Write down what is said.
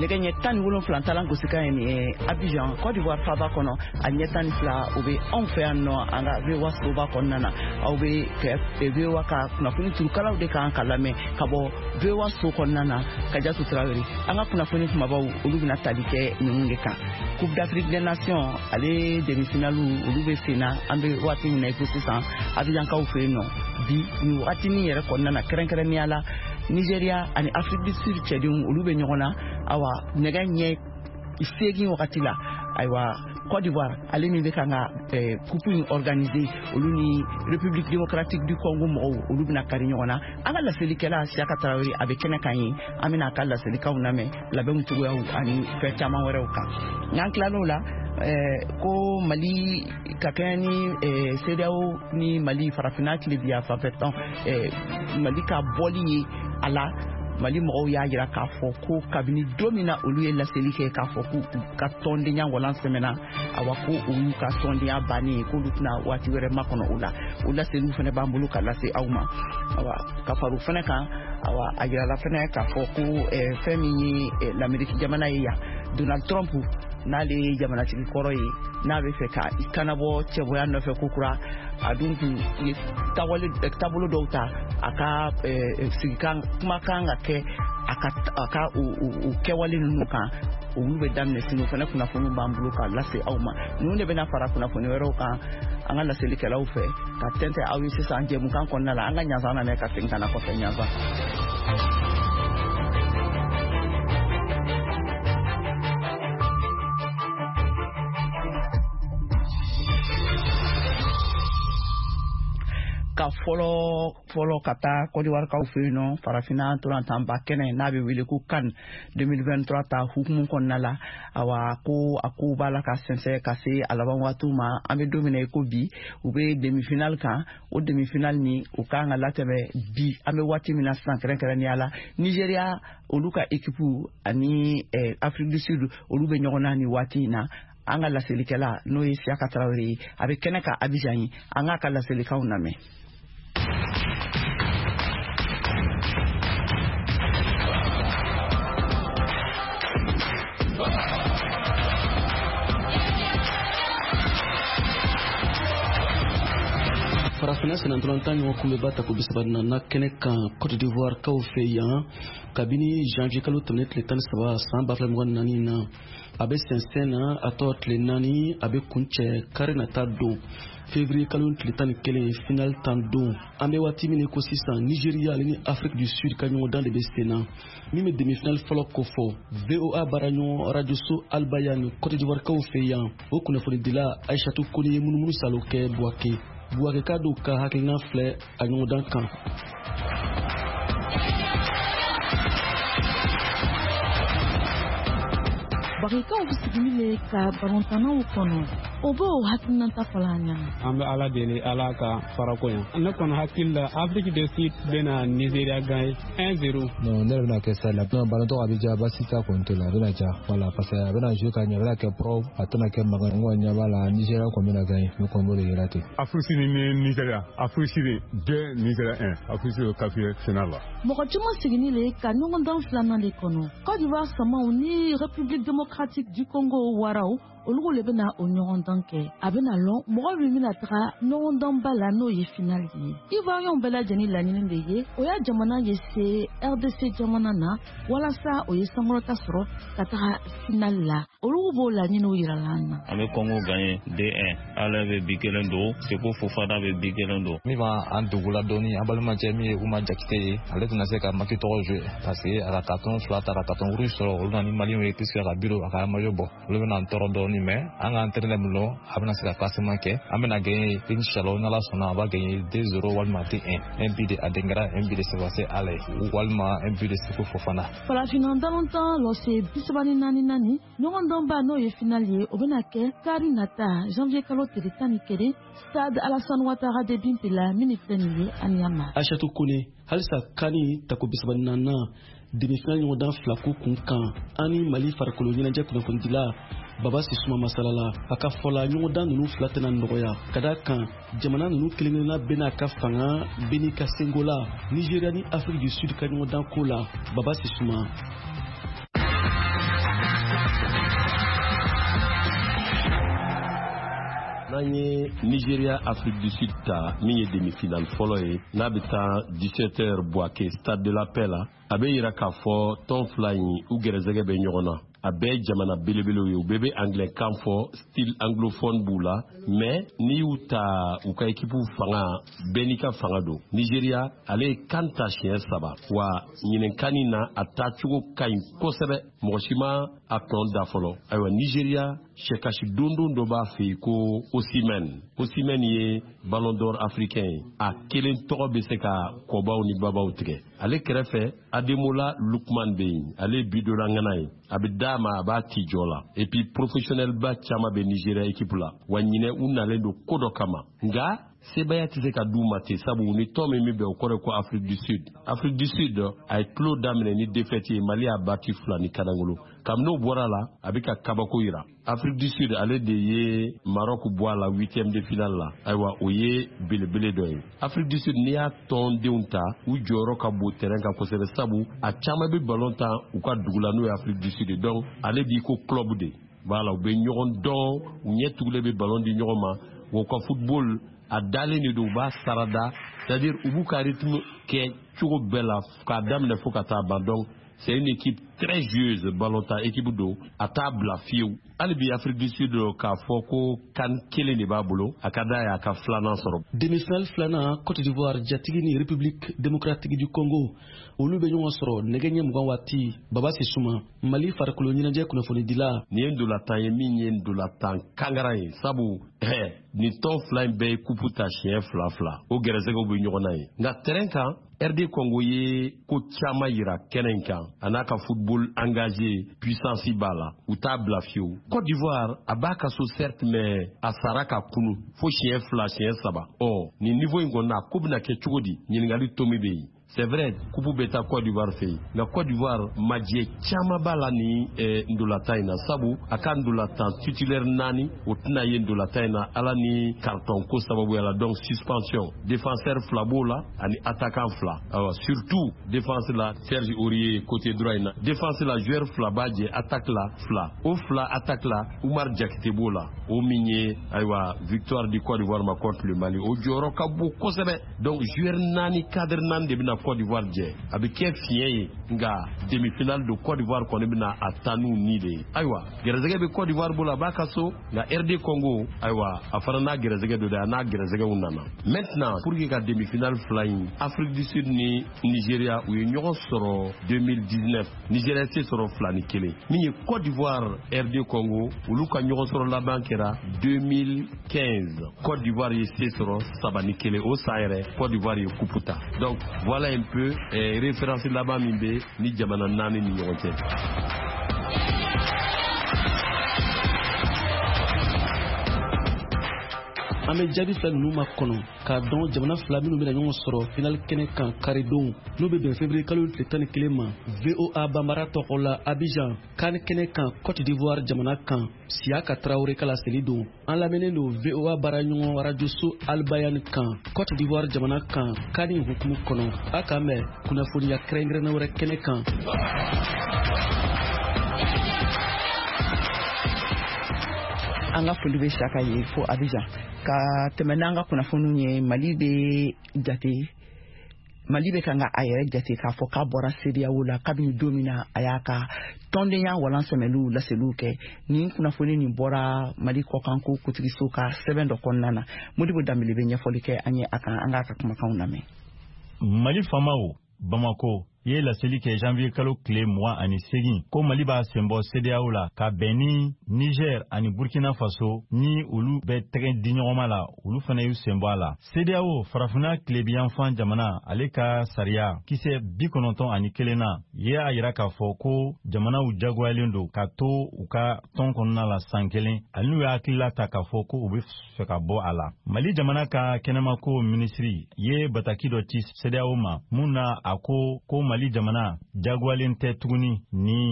Nɛgɛ ɲɛ 17 talan gosikan ye nin ye Abidjan, Côte d'Ivoire faaba kɔnɔ. A ɲɛ 12 o bɛ anw fɛ yan nɔ, an ka VOA soba kɔnɔna na. Aw bɛ VOA ka kunnafoni turukalaw de kan ka lamɛn ka bɔ VOA so kɔnɔna na. Kajatu Tarawele, an ka kunnafoni kumabaw, olu bɛna tali kɛ ninnu de kan. Coupe d'Afrique des Nations, ale demi-finale, olu bɛ sen na an bɛ waati min na i ko sisan Abidjankaw fɛ yen nɔ bi nin wagatinin yɛrɛ kɔnɔna na. Kɛrɛnkɛrɛnnenya la, Nigeria ani Afrique du Sud cɛdenw, olu bɛ ɲɔgɔn na. Awa, nɛgɛ ɲɛ 8 wagati la, ayiwa, Côte d'Ivoire, ale min bɛ kan ka coupe in organiser, olu ni République démocratique du Congo mɔgɔw, olu bɛna kari ɲɔgɔn na. An ka laselikɛla Siyaka Tarawele, a bɛ kɛnɛ kan yen. An bɛna a ka laselikaw lamɛn labɛnw cogoyaw ani fɛn caman wɛrɛw kan. N'an tilal'o la, ko Mali ka kɛɲɛ ni CEDEAO ni Mali farafinna tilebiya fanfɛ tɔn, Mali ka bɔli ye a la, Mali mɔgɔw y'a jira k'a fɔ ko kabini don min na olu ye laseli kɛ k'a fɔ k'u ka tɔndenya walan sɛmɛna, awa, ko o y'u ka tɔndenya bannen ye, k'olu tɛna waati wɛrɛ makɔnɔ o la. O laseliw fana b'an bolo ka lase aw ma. Awa, ka fara o fana kan, awa, a yirala fana k'a fɔ ko fɛn min ye Lameriki jamana ye yan, Donald Trump, n'ale ye jamanatigi kɔrɔ ye, n'a bɛ fɛ ka i kanabɔ cɛbɔya nɔfɛ ko kura, a dun tun ye taabolo dɔw ta a ka sigikan kumakan ka kɛ a ka o kɛwale ninnu kan, olu bɛ daminɛ sini. O fana kunnafoniw b'an bolo ka lase aw ma. Ninnu de bɛna fara kunnafoni wɛrɛw kan an ka laselikɛlaw fɛ ka tɛntɛn aw ye sisan jɛmukan kɔnɔna la. An ka ɲansan lamɛn ka segin ka na kɔfɛ. Ɲansan. Ka fɔlɔ fɔlɔ ka taa Kɔdiwarikaw fɛ yen nɔ, farafinna ntolantanba kɛnɛ n'a bɛ wele ko CAN 2023 ta hukumu kɔnɔna la, awa, ko a kow b'a la ka sɛnsɛn ka se a laban waatiw ma. An bɛ don min na i ko bi, u bɛ demi-finale kan. O demi-finale ni o kan ka latɛmɛ bi an bɛ waati min na sisan. Kɛrɛnkɛrɛnnenya la, Nigeria, olu ka équipe ani Afrique du Sud, olu bɛ ɲɔgɔn na nin waati in na. An ka laselikɛla, n'o ye Siyaka Tarawele ye, a bɛ kɛnɛ kan Abidjan ye. An k'a ka laselikaw lamɛn. Farafinna sennantolatan ɲɔgɔn kunbɛba tako 34nan kɛnɛ kan Cote d'Ivoire kaw fɛ yan, kabini janvier kalo tɛmɛnen tile 13 san 2024 na, a bɛ sɛnsɛn na. A tɔ tile 4, a bɛ kuncɛ kari nata don, février kalo tile 11, final tan don. An bɛ waati min ko sisan, Nigeria ale ni Afrique du Sud ka ɲɔgɔndan de bɛ sen na, min bɛ demi-finale fɔlɔ kofɔ. VOA baaraɲɔgɔn rajoso Albayan Cote d'Ivoire kaw fɛ yan, o kunnafonidila Aishatu Kone ye munumunu salo kɛ Buwake. Buwake dɔw ka hakilina filɛ a ɲɔgɔndan kan. Bagikaw bɛ sigili le ka balontannaw kɔnɔ, o b'o hakilinata fɔla an ɲɛna. An bɛ Ala deli, Ala ka farako yan. Ne kɔni hakili la, Afrique du Sud bɛna Nigeria gagner 1-0. Non, ne yɛrɛ bɛna kɛ stade la. Non, ballon a bɛ diya, basi t'a kɔni to la, a bɛna diya. Voilà, parce que a bɛna jouer ka ɲɛ, a bɛna kɛ propre, a tɛna kɛ mankan. N kɔni ɲɛ b'a la, Nigeria kɔni bɛna gagner, ne kɔni b'o de yira ten. Afrique ni Nigeria, Afrique Sud 2, Nigeria 1. Afrique Sud qualifié finale la. Mɔgɔ caman sigini le ka ɲɔgɔndan filanan de kɔnɔ. Côte d'Ivoire samaw ni République démocratique du Congo waraw, olu le bɛna o ɲɔgɔndan kɛ. A bɛna lɔn mɔgɔ min bɛna taga ɲɔgɔndanba la, n'o ye finale ye. Ivoiriyɛnw bɛɛ lajɛlen laɲini de ye o y'a jamana ye se RDC jamana na, walasa o ye sankɔrɔta sɔrɔ ka taga finale la. Olu b'o laɲiniw yirala an na. An bɛ Congo gagné 2-1. Ala bɛ bi kelen don, Seko Fofana bɛ bi kelen don. Min b'an dugula dɔɔni, an balimacɛ min ye Uma Jakite ye, ale tɛna se ka match tɔgɔ jouer parce que a ka carton fila ta, ka carton rouge sɔrɔ. Olu na ni Maliyɛnw ye puisque a ka bureau a ka maillot bɔ, olu bɛna an tɔɔrɔ dɔɔni, mais an ka entraîneur min lɔ, a bɛna se ka classement kɛ. An bɛna gagner inchallah, n'Ala sɔnna, a b'a gagner 2-0 walima 2-1, un but de Adingra, un but de Sebastien Haller walima un but de Seko Fofana. Farafinna balontan lɔse 34 naani ɲɔgɔndɔnba, n'o ye finale ye, o bɛna kɛ kari nata janvier kalo tile 11, stade Alassane Ouattara d'Ebimpe la min filɛ nin ye Aniyama. Aishatu Kone, halisa CAN tako 34nan demi-finale ɲɔgɔndan fila ko kun kan, an ni Mali farikolo ɲɛnajɛ kunnafonidila Baba Sisuma masalala. A ka fɔ la, ɲɔgɔndan ninnu fila tɛna nɔgɔya, ka da kan jamana ninnu kelen-kelenna bɛɛ n'a ka fanga, bɛɛ n'i ka senko la. Nigeria ni Afrique du Sud ka ɲɔgɔndan ko la, Baba Sisuma. N'an ye Nigeria Afrique du Sud ta, min ye demi-finale fɔlɔ ye, n'a bɛ taa 17h Bouaké Stade de la Paix la, a bɛ yira k'a fɔ tɔn fila in, u gɛrɛsɛgɛ bɛ ɲɔgɔn na. A bɛɛ ye jamana belebelew ye, u bɛɛ bɛ anglais kan fɔ, style anglophone b'u la, mais n'i y'u ta, u ka équipe fanga, bɛɛ n'i ka fanga don. Nigeria, ale ye CAN ta siɲɛ 3, wa ɲinan CAN in na, a taacogo ka ɲi kosɛbɛ, mɔgɔ si ma a tɔn da fɔlɔ. Ayiwa, Nigeria sɛkasi dondon dɔ b'a fɛ yen ko Osimhen. Osimhen ye Ballon d'Or africain ye, a kelen tɔgɔ bɛ se ka kɔbaw ni babaw tigɛ. Ale kɛrɛfɛ, Ademola Lookman bɛ yen, ale ye bidonna ŋana ye, a bɛ d'a ma, a b'a ci jɔ la. Et puis professionnel ba caman bɛ Nigeria équipe la, wa ɲinɛ u nalen don ko dɔ kama, nka sebaya tɛ se ka d'u ma ten, sabu ni tɔn min bɛ bɛn, o kɔrɔ ye ko Afrique du Sud. Afrique du Sud, a ye tulo daminɛ ni défaite ye, Mali y'a bati 2 ni kanangolo. Kabini o bɔra la, a bɛ ka kabako yira. Afrique du Sud, ale de ye Maroc bɔ a la huitième de finale la. Ayiwa, o ye belebele dɔ ye. Afrique du Sud, n'i y'a tɔndenw ta, u jɔyɔrɔ ka bon terrain kan kosɛbɛ, sabu a caman bɛ ballon tan u ka dugu la, n'o ye Afrique du Sud ye. Donc ale b'i ko club de, voilà, u bɛ ɲɔgɔn dɔn, u ɲɛ tugulen bɛ ballon di ɲɔgɔn ma, wa u ka football a dalen de don, u b'a sarada, c'est-à-dire u b'u ka rythme kɛ cogo bɛɛ la k'a daminɛ fo ka taa ban. Donc c'est une équipe très joueuse, ballon ta équipe don, a t'a bila fiyewu. Hali bi Afrique du Sud, k'a fɔ ko CAN kelen de b'a bolo, a ka d'a ye a ka filanan sɔrɔ. Demi-finale filanan, Côte d'Ivoire jatigi ni République démocratique du Congo, olu bɛ ɲɔgɔn sɔrɔ nɛgɛ ɲɛ 20 waati. Baba Sisuma, Mali farikolo ɲɛnajɛ kunnafonidila. Nin ye ndolantan ye min ye ndolantan kangara ye, sabu nin tɔn fila in bɛɛ ye kupu ta siɲɛ 2 2, o gɛrɛsɛgɛw bɛ ɲɔgɔn na ye. Nka terrain kan, RD Congo ye ko caman yira kɛnɛ in kan, a n'a ka football engagé, puissance b'a la, u t'a bila fiyewu. Côte d'Ivoire, a b'a ka so certes, mais a sara ka kunu fo siɲɛ 2, siɲɛ 3. Ɔ nin niveau in kɔni na, ko bɛna kɛ cogo di? Ɲininkali tomi bɛ yen. C'est vrai, kupu bɛ taa Côte d'Ivoire fɛ yen, nka Côte d'Ivoire majɛ caman b'a la ni ndolatan in na, sabu a ka ndolatan titulaire 4, o tɛna ye ndolatan in na, ala ni carton ko sababuya la, donc suspension. Défenseur 2 b'o la ani attaquant 2. Ayiwa, surtout défense la, Serge Aurier côté droit in na, défense la, joueur 2 b'a jɛ, attaque la 2, o 2 attaque la, Oumar Diakité b'o la, o min ye ayiwa victoire du Côte d'Ivoire ma contre le Mali, o jɔyɔrɔ ka bon kosɛbɛ. Donc joueur 4, cadre 4 de bɛna Côte d'Ivoire jɛ, a bɛ kɛ fiɲɛ ye, nka demi-finale don, Côte d'Ivoire kɔni bɛna a taa n'u ni de ye. Ayiwa, gɛrɛsɛgɛ bɛ Côte d'Ivoire bolo, a b'a ka so, nka RD Congo, ayiwa, a fana n'a gɛrɛsɛgɛ don dɛ, a n'a gɛrɛsɛgɛw nana. Maintenant, pour que ka demi-finale fila in, Afrique du Sud ni Nigeria, u ye ɲɔgɔn sɔrɔ 2019, Nigeria se sɔrɔ 2-1. Min ye Côte d'Ivoire RD Congo, olu ka ɲɔgɔn sɔrɔ laban kɛra 2015, Côte d'Ivoire ye se sɔrɔ 3-1. O san yɛrɛ, Côte d'Ivoire ye coupe ta. Donc voilà un peu référence laban min bɛ ni jamana 4 ni ɲɔgɔn cɛ. An bɛ jaabi fila ninnu ma kɔnɔ k'a dɔn jamana fila minnu bɛna ɲɔgɔn sɔrɔ final kɛnɛ kan karidon, n'o bɛ bɛn février kalo tile 11 ma. VOA Banbara tɔgɔ la Abidjan, CAN kɛnɛ kan Côte d'Ivoire jamana kan, Siyaka Traoré ka laseli don. An lamɛnnen don VOA baaraɲɔgɔn rajoso Albayan kan Côte d'Ivoire jamana kan CAN hukumu kɔnɔ. A k'an bɛn kunnafoniya kɛrɛnkɛrɛnnen wɛrɛ kɛnɛ kan. An ka foli bɛ Siyaka ye fo Abidjan. Ka tɛmɛ n'an ka kunnafoniw ye, Mali bɛ jate, Mali bɛ kan ka a yɛrɛ jate k'a fɔ k'a bɔra CEDEAO la kabini don min na a y'a ka tɔndenya walan sɛmɛliw laseliw kɛ. Nin kunnafoni nin bɔra Mali kɔkanko kuntigiso ka sɛbɛn dɔ kɔnɔna na. Modibo Danbele bɛ ɲɛfɔli kɛ an ye a kan, an k'a ka kumakanw lamɛn. Mali faamaw Bamako ye laseli kɛ janvier kalo tile 28 ko Mali b'a senbɔ CEDEAO la ka bɛn ni Niger ani Burkina Faso, ni olu bɛ tɛgɛ di ɲɔgɔnma la, olu fana y'u senbɔ a la. CEDEAO farafinna tilebiyanfan jamana, ale ka sariya kisɛ 91 na ye a yira k'a fɔ ko jamanaw jagoyalen don ka to u ka tɔn kɔnɔna la san kelen, ani n'u y'a hakilila ta k'a fɔ ko u bɛ fɛ ka bɔ a la. Mali jamana ka kɛnɛmako minisiri ye bataki dɔ ci CEDEAO ma mun na a ko ko Mali jamana jagoyalen tɛ tuguni ni